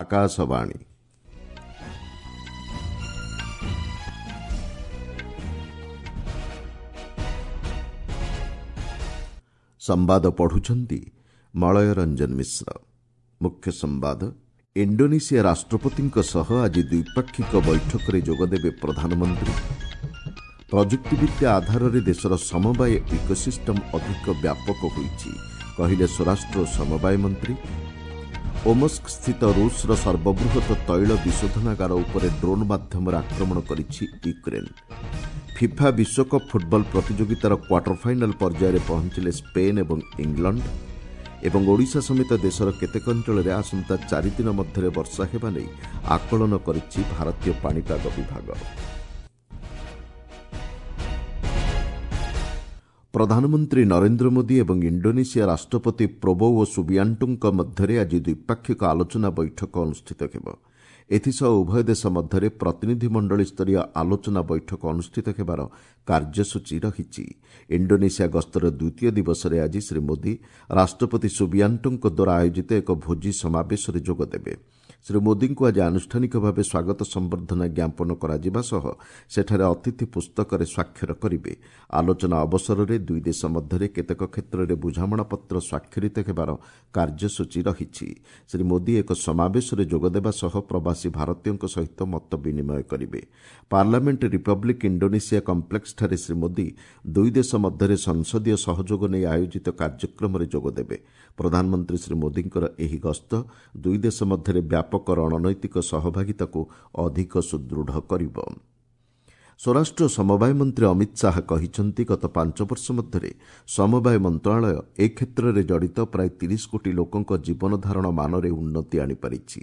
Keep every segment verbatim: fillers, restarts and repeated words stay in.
ଆକାଶବାଣୀ। ସମ୍ବାଦ ପଢୁଛନ୍ତି ମଳୟ ରଞ୍ଜନ ମିଶ୍ର। ମୁଖ୍ୟ ସମ୍ବାଦ। ଇଣ୍ଡୋନେସିଆ ରାଷ୍ଟ୍ରପତିଙ୍କ ସହ ଆଜି ଦ୍ୱିପାକ୍ଷିକ ବୈଠକରେ ଯୋଗଦେବେ ପ୍ରଧାନମନ୍ତ୍ରୀ। ପ୍ରଯୁକ୍ତିବିଦ୍ୟା ଆଧାରରେ ଦେଶର ସମବାୟ ଇକୋସିଷ୍ଟମ୍ ଅଧିକ ବ୍ୟାପକ ହୋଇଛି, କହିଲେ ସ୍ୱରାଷ୍ଟ୍ର ଓ ସମବାୟ ମନ୍ତ୍ରୀ। ଓମସ୍କସ୍ଥିତ ରୁଷର ସର୍ବବୃହତ ତୈଳ ବିଶୋଧନାଗାର ଉପରେ ଡ୍ରୋନ୍ ମାଧ୍ୟମରେ ଆକ୍ରମଣ କରିଛି ୟୁକ୍ରେନ୍। ଫିଫା ବିଶ୍ୱକପ୍ ଫୁଟବଲ ପ୍ରତିଯୋଗିତାର କ୍ୱାର୍ଟର ଫାଇନାଲ୍ ପର୍ଯ୍ୟାୟରେ ପହଞ୍ଚିଲେ ସ୍ପେନ୍ ଏବଂ ଇଂଲଣ୍ଡ। ଏବଂ ଓଡ଼ିଶା ସମେତ ଦେଶର କେତେକ ଅଞ୍ଚଳରେ ଆସନ୍ତା ଚାରିଦିନ ମଧ୍ୟରେ ବର୍ଷା ହେବା ନେଇ ଆକଳନ କରିଛି ଭାରତୀୟ ପାଣିପାଗ ବିଭାଗ। ପ୍ରଧାନମନ୍ତ୍ରୀ ନରେନ୍ଦ୍ର ମୋଦି ଏବଂ ଇଣ୍ଡୋନେସିଆ ରାଷ୍ଟ୍ରପତି ପ୍ରୋବୋଓ ସୁବିଆଣ୍ଟୋଙ୍କ ମଧ୍ୟରେ ଆଜି ଦ୍ୱିପାକ୍ଷିକ ଆଲୋଚନା ବୈଠକ ଅନୁଷ୍ଠିତ ହେବ। ଏଥିସହ ଉଭୟ ଦେଶ ମଧ୍ୟରେ ପ୍ରତିନିଧିମଣ୍ଡଳୀସ୍ତରୀୟ ଆଲୋଚନା ବୈଠକ ଅନୁଷ୍ଠିତ ହେବାର କାର୍ଯ୍ୟସୂଚୀ ରହିଛି। ଇଣ୍ଡୋନେସିଆ ଗସ୍ତର ଦ୍ୱିତୀୟ ଦିବସରେ ଆଜି ଶ୍ରୀ ମୋଦି ରାଷ୍ଟ୍ରପତି ସୁବିଆଣ୍ଟୋଙ୍କ ଦ୍ୱାରା ଆୟୋଜିତ ଏକ ଭୋଜି ସମାବେଶରେ ଯୋଗଦେବେ। ଶ୍ରୀ ମୋଦିଙ୍କୁ ଆଜି ଆନୁଷ୍ଠାନିକ ଭାବେ ସ୍ୱାଗତ ସମ୍ବର୍ଦ୍ଧନା ଜ୍ଞାପନ କରାଯିବା ସହ ସେଠାରେ ଅତିଥି ପୁସ୍ତକରେ ସ୍ୱାକ୍ଷର କରିବେ। ଆଲୋଚନା ଅବସରରେ ଦୁଇ ଦେଶ ମଧ୍ୟରେ କେତେକ କ୍ଷେତ୍ରରେ ବୁଝାମଣାପତ୍ର ସ୍ୱାକ୍ଷରିତ ହେବାର କାର୍ଯ୍ୟସୂଚୀ ରହିଛି। ଶ୍ରୀ ମୋଦି ଏକ ସମାବେଶରେ ଯୋଗଦେବା ସହ ପ୍ରବାସୀ ଭାରତୀୟଙ୍କ ସହିତ ମତ ବିନିମୟ କରିବେ। ପାର୍ଲାମେଣ୍ଟ ରିପବ୍ଲିକ୍ ଇଣ୍ଡୋନେସିଆ କମ୍ପ୍ଲେକ୍ସଠାରେ ଶ୍ରୀ ମୋଦି ଦୁଇ ଦେଶ ମଧ୍ୟରେ ସଂସଦୀୟ ସହଯୋଗ ନେଇ ଆୟୋଜିତ କାର୍ଯ୍ୟକ୍ରମରେ ଯୋଗଦେବେ। ପ୍ରଧାନମନ୍ତ୍ରୀ ଶ୍ରୀ ମୋଦିଙ୍କର ଏହି ଗସ୍ତ ଦୁଇ ଦେଶ ମଧ୍ୟରେ ବ୍ୟାପକ ରଣନୈତିକ ସହଭାଗିତାକୁ ଅଧିକ ସୁଦୃଢ଼ କରିବ। ସ୍ୱରାଷ୍ଟ୍ର ସମବାୟ ମନ୍ତ୍ରୀ ଅମିତ ଶାହା କହିଛନ୍ତି, ଗତ ପାଞ୍ଚ ବର୍ଷ ମଧ୍ୟରେ ସମବାୟ ମନ୍ତ୍ରଣାଳୟ ଏ କ୍ଷେତ୍ରରେ ଜଡ଼ିତ ପ୍ରାୟ ତିରିଶ କୋଟି ଲୋକଙ୍କ ଜୀବନଧାରଣ ମାନରେ ଉନ୍ନତି ଆଣିପାରିଛି।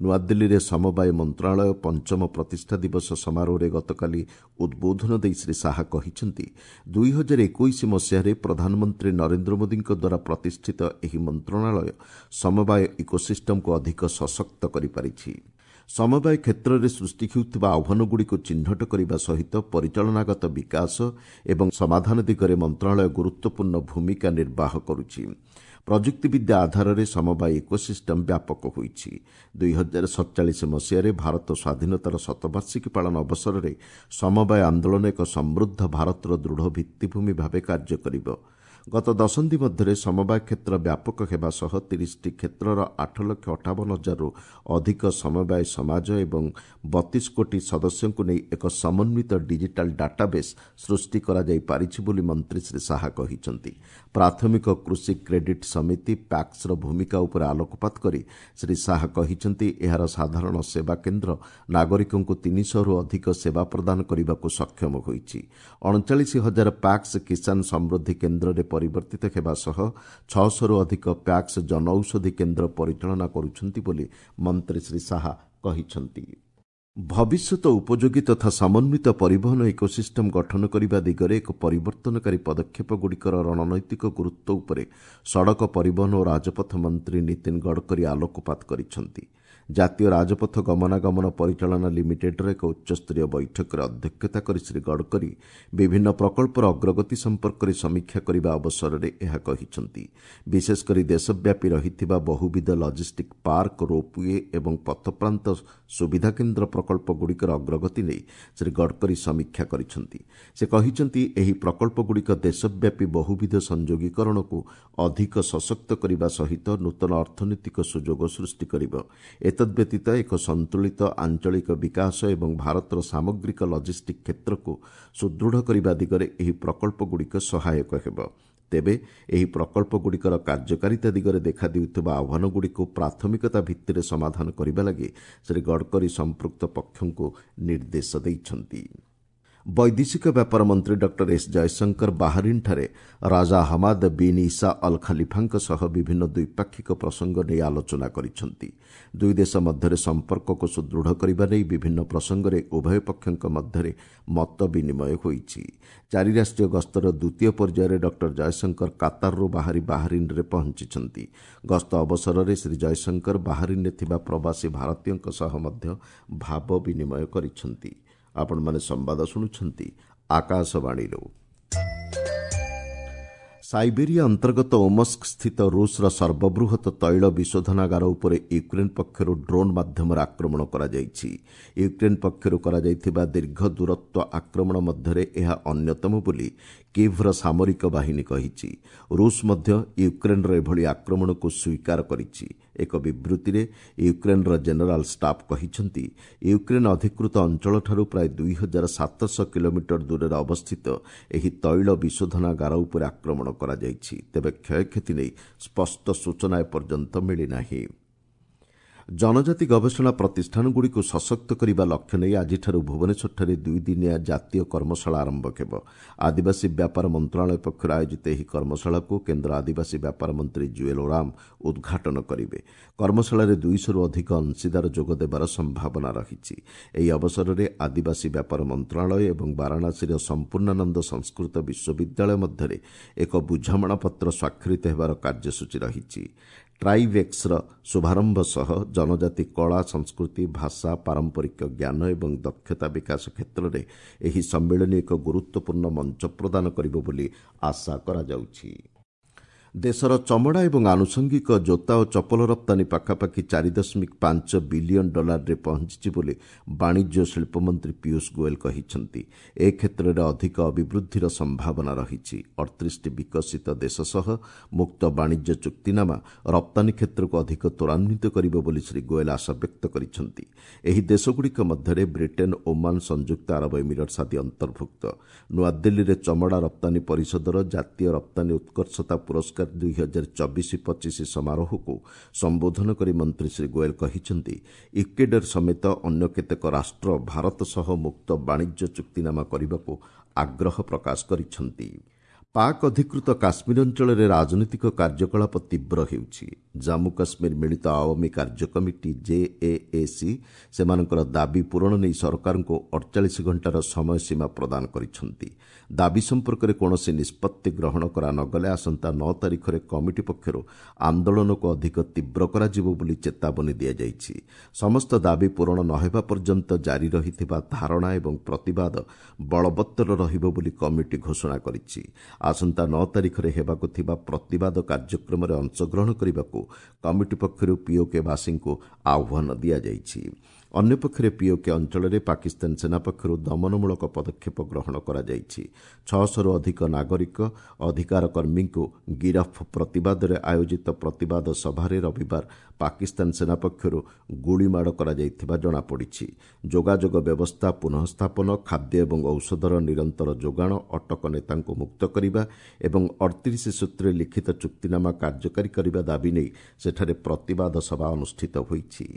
ନୂଆଦିଲ୍ଲୀରେ ସମବାୟ ମନ୍ତ୍ରଣାଳୟ ପଞ୍ଚମ ପ୍ରତିଷ୍ଠା ଦିବସ ସମାରୋହରେ ଗତକାଲି ଉଦ୍ବୋଧନ ଦେଇ ଶ୍ରୀ ଶାହା କହିଛନ୍ତି, ଦୁଇ ହଜାର ଏକୋଇଶ ମସିହାରେ ପ୍ରଧାନମନ୍ତ୍ରୀ ନରେନ୍ଦ୍ର ମୋଦିଙ୍କ ଦ୍ୱାରା ପ୍ରତିଷ୍ଠିତ ଏହି ମନ୍ତ୍ରଣାଳୟ ସମବାୟ ଇକୋସିଷ୍ଟମ୍କୁ ଅଧିକ ସଶକ୍ତ କରିପାରିଛି। ସମବାୟ କ୍ଷେତ୍ରରେ ସୃଷ୍ଟି ହେଉଥିବା ଆହ୍ୱାନଗୁଡ଼ିକୁ ଚିହ୍ନଟ କରିବା ସହିତ ପରିଚାଳନାଗତ ବିକାଶ ଏବଂ ସମାଧାନ ଦିଗରେ ମନ୍ତ୍ରଣାଳୟ ଗୁରୁତ୍ୱପୂର୍ଣ୍ଣ ଭୂମିକା ନିର୍ବାହ କରୁଛି। ପ୍ରଯୁକ୍ତିବିଦ୍ୟା ଆଧାରରେ ସମବାୟ ଇକୋସିଷ୍ଟମ୍ ବ୍ୟାପକ ହୋଇଛି। ଦୁଇ ହଜାର ସତଚାଳିଶ ମସିହାରେ ଭାରତ ସ୍ୱାଧୀନତାର ଶତବାର୍ଷିକୀ ପାଳନ ଅବସରରେ ସମବାୟ ଆନ୍ଦୋଳନ ଏକ ସମୃଦ୍ଧ ଭାରତର ଦୃଢ଼ ଭିତ୍ତିଭୂମି ଭାବେ କାର୍ଯ୍ୟ କରିବ। ଗତ ଦଶନ୍ଧି ମଧ୍ୟରେ ସମବାୟ କ୍ଷେତ୍ର ବ୍ୟାପକ ହେବା ସହ ତିରିଶଟି କ୍ଷେତ୍ରର ଆଠ ଲକ୍ଷ ଅଠାବନ ହଜାରରୁ ଅଧିକ ସମବାୟ ସମାଜ ଏବଂ ବତିଶ କୋଟି ସଦସ୍ୟଙ୍କୁ ନେଇ ଏକ ସମନ୍ୱିତ ଡିଜିଟାଲ ଡାଟାବେସ୍ ସୃଷ୍ଟି କରାଯାଇପାରିଛି ବୋଲି ମନ୍ତ୍ରୀ ଶ୍ରୀ ଶାହା କହିଛନ୍ତି। ପ୍ରାଥମିକ କୃଷି କ୍ରେଡିଟ୍ ସମିତି ପ୍ୟାକ୍ସର ଭୂମିକା ଉପରେ ଆଲୋକପାତ କରି ଶ୍ରୀ ଶାହା କହିଛନ୍ତି, ଏହାର ସାଧାରଣ ସେବା କେନ୍ଦ୍ର ନାଗରିକଙ୍କୁ ତିନିଶହରୁ ଅଧିକ ସେବା ପ୍ରଦାନ କରିବାକୁ ସକ୍ଷମ ହୋଇଛି। ଅଣଚାଳିଶ ହଜାର ପ୍ୟାକ୍ସ କିଷାନ ସମୃଦ୍ଧି କେନ୍ଦ୍ରରେ ପରିବର୍ତ୍ତିତ ହେବା ସହ ଛଅଶହରୁ ଅଧିକ ପ୍ୟାକ୍ସ ଜନଔଷଧି କେନ୍ଦ୍ର ପରିଚାଳନା କରୁଛନ୍ତି ବୋଲି ମନ୍ତ୍ରୀ ଶ୍ରୀ ଶାହା କହିଛନ୍ତି। ଭବିଷ୍ୟତ ଉପଯୋଗୀ ତଥା ସମନ୍ୱିତ ପରିବହନ ଇକୋସିଷ୍ଟମ୍ ଗଠନ କରିବା ଦିଗରେ ଏକ ପରିବର୍ତ୍ତନକାରୀ ପଦକ୍ଷେପଗୁଡ଼ିକର ରଣନୈତିକ ଗୁରୁତ୍ୱ ଉପରେ ସଡ଼କ ପରିବହନ ଓ ରାଜପଥ ମନ୍ତ୍ରୀ ନୀତିନ ଗଡ଼କରୀ ଆଲୋକପାତ କରିଛନ୍ତି। ଜାତୀୟ ରାଜପଥ ଗମନାଗମନ ପରିଚାଳନା ଲିମିଟେଡ୍ର ଏକ ଉଚ୍ଚସ୍ତରୀୟ ବୈଠକରେ ଅଧ୍ୟକ୍ଷତା କରି ଶ୍ରୀ ଗଡ଼କରୀ ବିଭିନ୍ନ ପ୍ରକଳ୍ପର ଅଗ୍ରଗତି ସମ୍ପର୍କରେ ସମୀକ୍ଷା କରିବା ଅବସରରେ ଏହା କହିଛନ୍ତି। ବିଶେଷକରି ଦେଶବ୍ୟାପୀ ରହିଥିବା ବହୁବିଧ ଲଜିଷ୍ଟିକ୍ ପାର୍କ, ରୋପୱେ ଏବଂ ପଥପ୍ରାନ୍ତ ସୁବିଧା କେନ୍ଦ୍ର ପ୍ରକଳ୍ପଗୁଡ଼ିକର ଅଗ୍ରଗତି ନେଇ ଶ୍ରୀ ଗଡ଼କରୀ ସମୀକ୍ଷା କରିଛନ୍ତି। ସେ କହିଛନ୍ତି, ଏହି ପ୍ରକଳ୍ପଗୁଡ଼ିକ ଦେଶବ୍ୟାପୀ ବହୁବିଧ ସଂଯୋଗୀକରଣକୁ ଅଧିକ ସଶକ୍ତ କରିବା ସହିତ ନୂତନ ଅର୍ଥନୈତିକ ସୁଯୋଗ ସୃଷ୍ଟି କରିବ। ଏତଦ୍ବ୍ୟତୀତ ଏକ ସନ୍ତୁଳିତ ଆଞ୍ଚଳିକ ବିକାଶ ଏବଂ ଭାରତର ସାମଗ୍ରିକ ଲଜିଷ୍ଟିକ୍ କ୍ଷେତ୍ରକୁ ସୁଦୃଢ଼ କରିବା ଦିଗରେ ଏହି ପ୍ରକଳ୍ପଗୁଡ଼ିକ ସହାୟକ ହେବ। ତେବେ ଏହି ପ୍ରକଳ୍ପଗୁଡ଼ିକର କାର୍ଯ୍ୟକାରିତା ଦିଗରେ ଦେଖାଦେଉଥିବା ଆହ୍ୱାନଗୁଡ଼ିକୁ ପ୍ରାଥମିକତା ଭିତ୍ତିରେ ସମାଧାନ କରିବା ଲାଗି ଶ୍ରୀ ଗଡ଼କରୀ ସମ୍ପୃକ୍ତ ପକ୍ଷଙ୍କୁ ନିର୍ଦ୍ଦେଶ ଦେଇଛନ୍ତି। ବୈଦେଶିକ ବ୍ୟାପାର ମନ୍ତ୍ରୀ ଡକ୍ଟର ଏସ୍ ଜୟଶଙ୍କର ବାହାରିନ୍ଠାରେ ରାଜା ହମାଦ ବିନ୍ ଇସା ଅଲ୍ ଖଲିଫାଙ୍କ ସହ ବିଭିନ୍ନ ଦ୍ୱିପାକ୍ଷିକ ପ୍ରସଙ୍ଗ ନେଇ ଆଲୋଚନା କରିଛନ୍ତି। ଦୁଇ ଦେଶ ମଧ୍ୟରେ ସମ୍ପର୍କକୁ ସୁଦୃଢ଼ କରିବା ନେଇ ବିଭିନ୍ନ ପ୍ରସଙ୍ଗରେ ଉଭୟ ପକ୍ଷଙ୍କ ମଧ୍ୟରେ ମତ ବିନିମୟ ହୋଇଛି। ଚାରି ରାଷ୍ଟ୍ରୀୟ ଗସ୍ତର ଦ୍ୱିତୀୟ ପର୍ଯ୍ୟାୟରେ ଡକ୍ଟର ଜୟଶଙ୍କର କାତାରରୁ ବାହାରି ବାହାରିନ୍ରେ ପହଞ୍ଚିଛନ୍ତି। ଗସ୍ତ ଅବସରରେ ଶ୍ରୀ ଜୟଶଙ୍କର ବାହାରିନ୍ରେ ଥିବା ପ୍ରବାସୀ ଭାରତୀୟଙ୍କ ସହ ମଧ୍ୟ ଭାବ ବିନିମୟ କରିଛନ୍ତି। ଆପଣମାନେ ସମ୍ବାଦ ଶୁଣୁଛନ୍ତି ଆକାଶବାଣୀରୁ। ସାଇବେରିଆ ଅନ୍ତର୍ଗତ ଓମସ୍କ ସ୍ଥିତ ରୁଷର ସର୍ବବୃହତ ତୈଳ ବିଶୋଧନାଗାର ଉପରେ ୟୁକ୍ରେନ୍ ପକ୍ଷରୁ ଡ୍ରୋନ୍ ମାଧ୍ୟମରେ ଆକ୍ରମଣ କରାଯାଇଛି। ୟୁକ୍ରେନ୍ ପକ୍ଷରୁ କରାଯାଇଥିବା ଦୀର୍ଘ ଦୂରତ୍ୱ ଆକ୍ରମଣ ମଧ୍ୟରେ ଏହା ଅନ୍ୟତମ ବୋଲି କିଭ୍ର ସାମରିକ ବାହିନୀ କହିଛି। ରୁଷ ମଧ୍ୟ ୟୁକ୍ରେନ୍ର ଏଭଳି ଆକ୍ରମଣକୁ ସ୍ୱୀକାର କରିଛି। ଏକ ବିବୃତ୍ତିରେ ୟୁକ୍ରେନ୍ର ଜେନେରାଲ୍ ଷ୍ଟାଫ୍ କହିଛନ୍ତି, ୟୁକ୍ରେନ୍ ଅଧିକୃତ ଅଞ୍ଚଳଠାରୁ ପ୍ରାୟ ଦୁଇ ହଜାର ସାତଶହ କିଲୋମିଟର ଦୂରରେ ଅବସ୍ଥିତ ଏହି ତୈଳ ବିଶୋଧନାଗାର ଉପରେ ଆକ୍ରମଣ କରାଯାଇଛି। ତେବେ କ୍ଷୟକ୍ଷତି ନେଇ ସ୍ପଷ୍ଟ ସୂଚନା ଏପର୍ଯ୍ୟନ୍ତ ମିଳିନାହିଁ। ଜନଜାତି ଗବେଷଣା ପ୍ରତିଷ୍ଠାନଗୁଡ଼ିକୁ ସଶକ୍ତ କରିବା ଲକ୍ଷ୍ୟ ନେଇ ଆଜିଠାରୁ ଭୁବନେଶ୍ୱରଠାରେ ଦୁଇଦିନିଆ ଜାତୀୟ କର୍ମଶାଳା ଆରମ୍ଭ ହେବ। ଆଦିବାସୀ ବ୍ୟାପାର ମନ୍ତ୍ରଣାଳୟ ପକ୍ଷରୁ ଆୟୋଜିତ ଏହି କର୍ମଶାଳାକୁ କେନ୍ଦ୍ର ଆଦିବାସୀ ବ୍ୟାପାର ମନ୍ତ୍ରୀ ଜୁଏଲ୍ ଓରାମ ଉଦ୍ଘାଟନ କରିବେ। କର୍ମଶାଳାରେ ଦୁଇଶହରୁ ଅଧିକ ଅଂଶୀଦାର ଯୋଗ ଦେବାର ସମ୍ଭାବନା ରହିଛି। ଏହି ଅବସରରେ ଆଦିବାସୀ ବ୍ୟାପାର ମନ୍ତ୍ରଣାଳୟ ଏବଂ ବାରାଣାସୀର ସମ୍ପୂର୍ଣ୍ଣାନନ୍ଦ ସଂସ୍କୃତ ବିଶ୍ୱବିଦ୍ୟାଳୟ ମଧ୍ୟରେ ଏକ ବୁଝାମଣାପତ୍ର ସ୍ୱାକ୍ଷରିତ ହେବାର କାର୍ଯ୍ୟସୂଚୀ ରହିଛି। ଟ୍ରାଇଭେକ୍ସର ଶୁଭାରମ୍ଭ ସହ ଜନଜାତି କଳା, ସଂସ୍କୃତି, ଭାଷା, ପାରମ୍ପରିକ ଜ୍ଞାନ ଏବଂ ଦକ୍ଷତା ବିକାଶ କ୍ଷେତ୍ରରେ ଏହି ସମ୍ମିଳନୀ ଏକ ଗୁରୁତ୍ୱପୂର୍ଣ୍ଣ ମଞ୍ଚ ପ୍ରଦାନ କରିବ ବୋଲି ଆଶା କରାଯାଉଛି। ଦେଶର ଚମଡ଼ା ଏବଂ ଆନୁଷଙ୍ଗିକ ଜୋତା ଓ ଚପଲ ରପ୍ତାନୀ ପାଖାପାଖି ଚାରି ଦଶମିକ ପାଞ୍ଚ ବିଲିୟନ ଡଲାରରେ ପହଞ୍ଚିଛି ବୋଲି ବାଣିଜ୍ୟ ଓ ଶିଳ୍ପମନ୍ତ୍ରୀ ପୀୟୁଷ ଗୋଏଲ କହିଛନ୍ତି। ଏ କ୍ଷେତ୍ରରେ ଅଧିକ ଅଭିବୃଦ୍ଧିର ସମ୍ଭାବନା ରହିଛି। ଅଠତିରିଶଟି ବିକଶିତ ଦେଶ ସହ ମୁକ୍ତ ବାଣିଜ୍ୟ ଚୁକ୍ତିନାମା ରପ୍ତାନୀ କ୍ଷେତ୍ରକୁ ଅଧିକ ତ୍ୱରାନ୍ୱିତ କରିବ ବୋଲି ଶ୍ରୀ ଗୋଏଲ ଆଶାବ୍ୟକ୍ତ କରିଛନ୍ତି। ଏହି ଦେଶଗୁଡ଼ିକ ମଧ୍ୟରେ ବ୍ରିଟେନ୍, ଓମାନ, ସଂଯୁକ୍ତ ଆରବ ଏମିରେଟ୍ସ ଆଦି ଅନ୍ତର୍ଭୁକ୍ତ। ନୂଆଦିଲ୍ଲୀରେ ଚମଡ଼ା ରପ୍ତାନୀ ପରିଷଦର ଜାତୀୟ ରପ୍ତାନୀ ଉତ୍କର୍ଷତା ପୁରସ୍କାର ଦୁଇ ହଜାର ଚବିଶ ପଚିଶ ସମାରୋହକୁ ସମ୍ବୋଧନ କରି ମନ୍ତ୍ରୀ ଶ୍ରୀ ଗୋଏଲ କହିଛନ୍ତି, ଇକ୍ୱେଡର ସମେତ ଅନ୍ୟ କେତେକ ରାଷ୍ଟ୍ର ଭାରତ ସହ ମୁକ୍ତ ବାଣିଜ୍ୟ ଚୁକ୍ତିନାମା କରିବାକୁ ଆଗ୍ରହ ପ୍ରକାଶ କରିଛନ୍ତି। ପାକ୍ ଅଧିକୃତ କାଶ୍ମୀର ଅଞ୍ଚଳରେ ରାଜନୈତିକ କାର୍ଯ୍ୟକଳାପ ତୀବ୍ର ହେଉଛି। ଜାମ୍ମୁ କାଶ୍ମୀର ମିଳିତ ଆୱାମୀ କାର୍ଯ୍ୟ କମିଟି ଜେଏଏସି ସେମାନଙ୍କର ଦାବି ପୂରଣ ନେଇ ସରକାରଙ୍କୁ ଅଠଚାଳିଶ ଘଣ୍ଟାର ସମୟସୀମା ପ୍ରଦାନ କରିଛନ୍ତି। ଦାବି ସମ୍ପର୍କରେ କୌଣସି ନିଷ୍ପତ୍ତି ଗ୍ରହଣ କରାନଗଲେ ଆସନ୍ତା ନଅ ତାରିଖରେ କମିଟି ପକ୍ଷରୁ ଆନ୍ଦୋଳନକୁ ଅଧିକ ତୀବ୍ର କରାଯିବ ବୋଲି ଚେତାବନୀ ଦିଆଯାଇଛି। ସମସ୍ତ ଦାବି ପୂରଣ ନ ହେବା ପର୍ଯ୍ୟନ୍ତ ଜାରି ରହିଥିବା ଧାରଣା ଏବଂ ପ୍ରତିବାଦ ବଳବତ୍ତର ରହିବ ବୋଲି କମିଟି ଘୋଷଣା କରିଛି। ଆସନ୍ତା ନଅ ତାରିଖରେ ହେବାକୁ ଥିବା ପ୍ରତିବାଦ କାର୍ଯ୍ୟକ୍ରମରେ ଅଂଶଗ୍ରହଣ କରିବାକୁ କମିଟି ପକ୍ଷରୁ ପିଓକେବାସୀଙ୍କୁ ଆହ୍ୱାନ ଦିଆଯାଇଛି। ଅନ୍ୟପକ୍ଷରେ ପିଓକେ ଅଞ୍ଚଳରେ ପାକିସ୍ତାନ ସେନା ପକ୍ଷରୁ ଦମନମୂଳକ ପଦକ୍ଷେପ ଗ୍ରହଣ କରାଯାଇଛି। ଛଅଶହରୁ ଅଧିକ ନାଗରିକ ଅଧିକାର କର୍ମୀଙ୍କୁ ଗିରଫ ପ୍ରତିବାଦରେ ଆୟୋଜିତ ପ୍ରତିବାଦ ସଭାରେ ରବିବାର ପାକିସ୍ତାନ ସେନା ପକ୍ଷରୁ ଗୁଳିମାଡ଼ କରାଯାଇଥିବା ଜଣାପଡ଼ିଛି। ଯୋଗାଯୋଗ ବ୍ୟବସ୍ଥା ପୁନଃସ୍ଥାପନ, ଖାଦ୍ୟ ଏବଂ ଔଷଧର ନିରନ୍ତର ଯୋଗାଣ, ଅଟକ ନେତାଙ୍କୁ ମୁକ୍ତ କରିବା ଏବଂ ଅଠତିରିଶ ସୂତ୍ରରେ ଲିଖିତ ଚୁକ୍ତିନାମା କାର୍ଯ୍ୟକାରୀ କରିବା ଦାବି ନେଇ ସେଠାରେ ପ୍ରତିବାଦ ସଭା ଅନୁଷ୍ଠିତ ହୋଇଛି।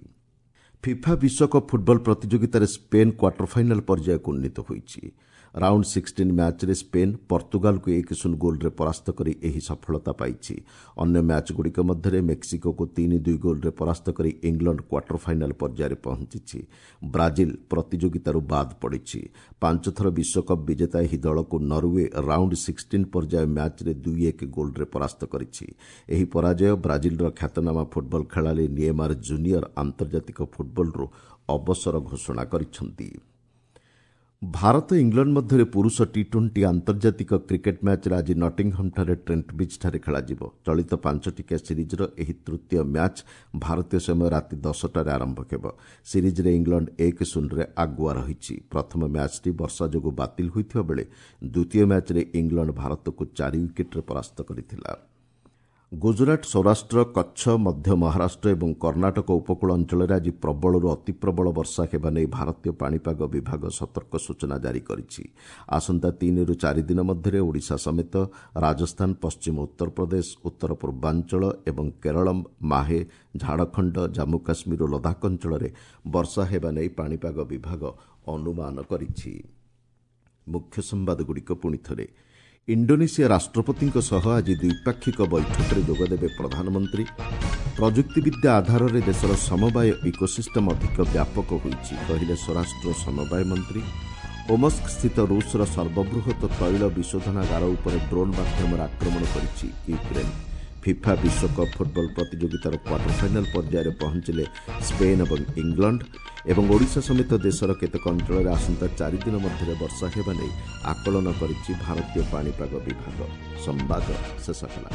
ଫିଫା ବିଶ୍ୱକପ୍ ଫୁଟବଲ ପ୍ରତିଯୋଗିତାରେ ସ୍ପେନ୍ କ୍ୱାର୍ଟର ଫାଇନାଲ୍ ପର୍ଯ୍ୟାୟକୁ ଉନ୍ନୀତ ହୋଇଛି। ରାଉଣ୍ଡ ସିକ୍ସଟିନ୍ ମ୍ୟାଚ୍ରେ ସ୍ପେନ୍ ପର୍ତ୍ତୁଗାଲକୁ ଏକ ଶୂନ ଗୋଲ୍ରେ ପରାସ୍ତ କରି ଏହି ସଫଳତା ପାଇଛି। ଅନ୍ୟ ମ୍ୟାଚ୍ଗୁଡ଼ିକ ମଧ୍ୟରେ ମେକ୍ସିକୋକୁ ତିନି ଦୁଇ ଗୋଲ୍ରେ ପରାସ୍ତ କରି ଇଂଲଣ୍ଡ କ୍ୱାର୍ଟର ଫାଇନାଲ୍ ପର୍ଯ୍ୟାୟରେ ପହଞ୍ଚିଛି। ବ୍ରାଜିଲ ପ୍ରତିଯୋଗିତାରୁ ବାଦ୍ ପଡ଼ିଛି। ପାଞ୍ଚଥର ବିଶ୍ୱକପ୍ ବିଜେତା ଏହି ଦଳକୁ ନରୱେ ରାଉଣ୍ଡ ସିକ୍ସଟିନ୍ ପର୍ଯ୍ୟାୟ ମ୍ୟାଚ୍ରେ ଦୁଇ ଏକ ଗୋଲ୍ରେ ପରାସ୍ତ କରିଛି। ଏହି ପରାଜୟ ବ୍ରାଜିଲର ଖ୍ୟାତନାମା ଫୁଟବଲ ଖେଳାଳି ନିଏମାର ଜୁନିୟର ଆନ୍ତର୍ଜାତିକ ଫୁଟବଲରୁ ଅବସର ଘୋଷଣା କରିଛନ୍ତି। ଭାରତ ଇଂଲଣ୍ଡ ମଧ୍ୟରେ ପୁରୁଷ ଟି ଟ୍ୱେଣ୍ଟି ଆନ୍ତର୍ଜାତିକ କ୍ରିକେଟ୍ ମ୍ୟାଚ୍ରେ ଆଜି ନଟିଂହମ୍ଠାରେ ଟ୍ରେଣ୍ଟ ବ୍ରିଜ୍ଠାରେ ଖେଳାଯିବ। ଚଳିତ ପାଞ୍ଚଟିକିଆ ସିରିଜ୍ର ଏହି ତୃତୀୟ ମ୍ୟାଚ୍ ଭାରତୀୟ ସମୟ ରାତି ଦଶଟାରେ ଆରମ୍ଭ ହେବ। ସିରିଜ୍ରେ ଇଂଲଣ୍ଡ ଏକ ଶୂନରେ ଆଗୁଆ ରହିଛି। ପ୍ରଥମ ମ୍ୟାଚ୍ଟି ବର୍ଷା ଯୋଗୁଁ ବାତିଲ ହୋଇଥିବା ବେଳେ ଦ୍ୱିତୀୟ ମ୍ୟାଚ୍ରେ ଇଂଲଣ୍ଡ ଭାରତକୁ ଚାରି ୱିକେଟ୍ରେ ପରାସ୍ତ କରିଥିଲା। ଗୁଜରାଟ, ସୌରାଷ୍ଟ୍ର, କଚ୍ଛ, ମଧ୍ୟ ମହାରାଷ୍ଟ୍ର ଏବଂ କର୍ଣ୍ଣାଟକ ଉପକୂଳ ଅଞ୍ଚଳରେ ଆଜି ପ୍ରବଳରୁ ଅତିପ୍ରବଳ ବର୍ଷା ହେବା ନେଇ ଭାରତୀୟ ପାଣିପାଗ ବିଭାଗ ସତର୍କ ସୂଚନା ଜାରି କରିଛି। ଆସନ୍ତା ତିନିରୁ ଚାରି ଦିନ ମଧ୍ୟରେ ଓଡ଼ିଶା ସମେତ ରାଜସ୍ଥାନ, ପଶ୍ଚିମ ଉତ୍ତରପ୍ରଦେଶ, ଉତ୍ତର ପୂର୍ବାଞ୍ଚଳ ଏବଂ କେରଳ, ମାହେ, ଝାଡ଼ଖଣ୍ଡ, ଜାମ୍ମୁ କାଶ୍ମୀର ଓ ଲଦାଖ ଅଞ୍ଚଳରେ ବର୍ଷା ହେବା ନେଇ ପାଣିପାଗ ବିଭାଗ ଅନୁମାନ କରିଛି। ମୁଖ୍ୟ ସମ୍ବାଦଗୁଡ଼ିକ ପୁଣିଥରେ। ଇଣ୍ଡୋନେସିଆ ରାଷ୍ଟ୍ରପତିଙ୍କ ସହ ଆଜି ଦ୍ୱିପାକ୍ଷିକ ବୈଠକରେ ଯୋଗଦେବେ ପ୍ରଧାନମନ୍ତ୍ରୀ। ପ୍ରଯୁକ୍ତିବିଦ୍ୟା ଆଧାରରେ ଦେଶର ସମବାୟ ଇକୋସିଷ୍ଟମ୍ ଅଧିକ ବ୍ୟାପକ ହୋଇଛି, କହିଲେ ସ୍ୱରାଷ୍ଟ୍ର ସମବାୟ ମନ୍ତ୍ରୀ। ଓମସ୍କ ସ୍ଥିତ ରୁଷର ସର୍ବବୃହତ ତୈଳ ବିଶୋଧନାଗାର ଉପରେ ଡ୍ରୋନ୍ ମାଧ୍ୟମରେ ଆକ୍ରମଣ କରିଛି ୟୁକ୍ରେନ୍। ଫିଫା ବିଶ୍ୱକପ୍ ଫୁଟବଲ ପ୍ରତିଯୋଗିତାର କ୍ୱାର୍ଟର ଫାଇନାଲ୍ ପର୍ଯ୍ୟାୟରେ ପହଞ୍ଚିଲେ ସ୍ପେନ୍ ଏବଂ ଇଂଲଣ୍ଡ। ଏବଂ ଓଡ଼ିଶା ସମେତ ଦେଶର କେତେକ ଅଞ୍ଚଳରେ ଆସନ୍ତା ଚାରିଦିନ ମଧ୍ୟରେ ବର୍ଷା ହେବା ନେଇ ଆକଳନ କରିଛି ଭାରତୀୟ ପାଣିପାଗ ବିଭାଗ। ସମ୍ବାଦ ଶେଷ ହେଲା।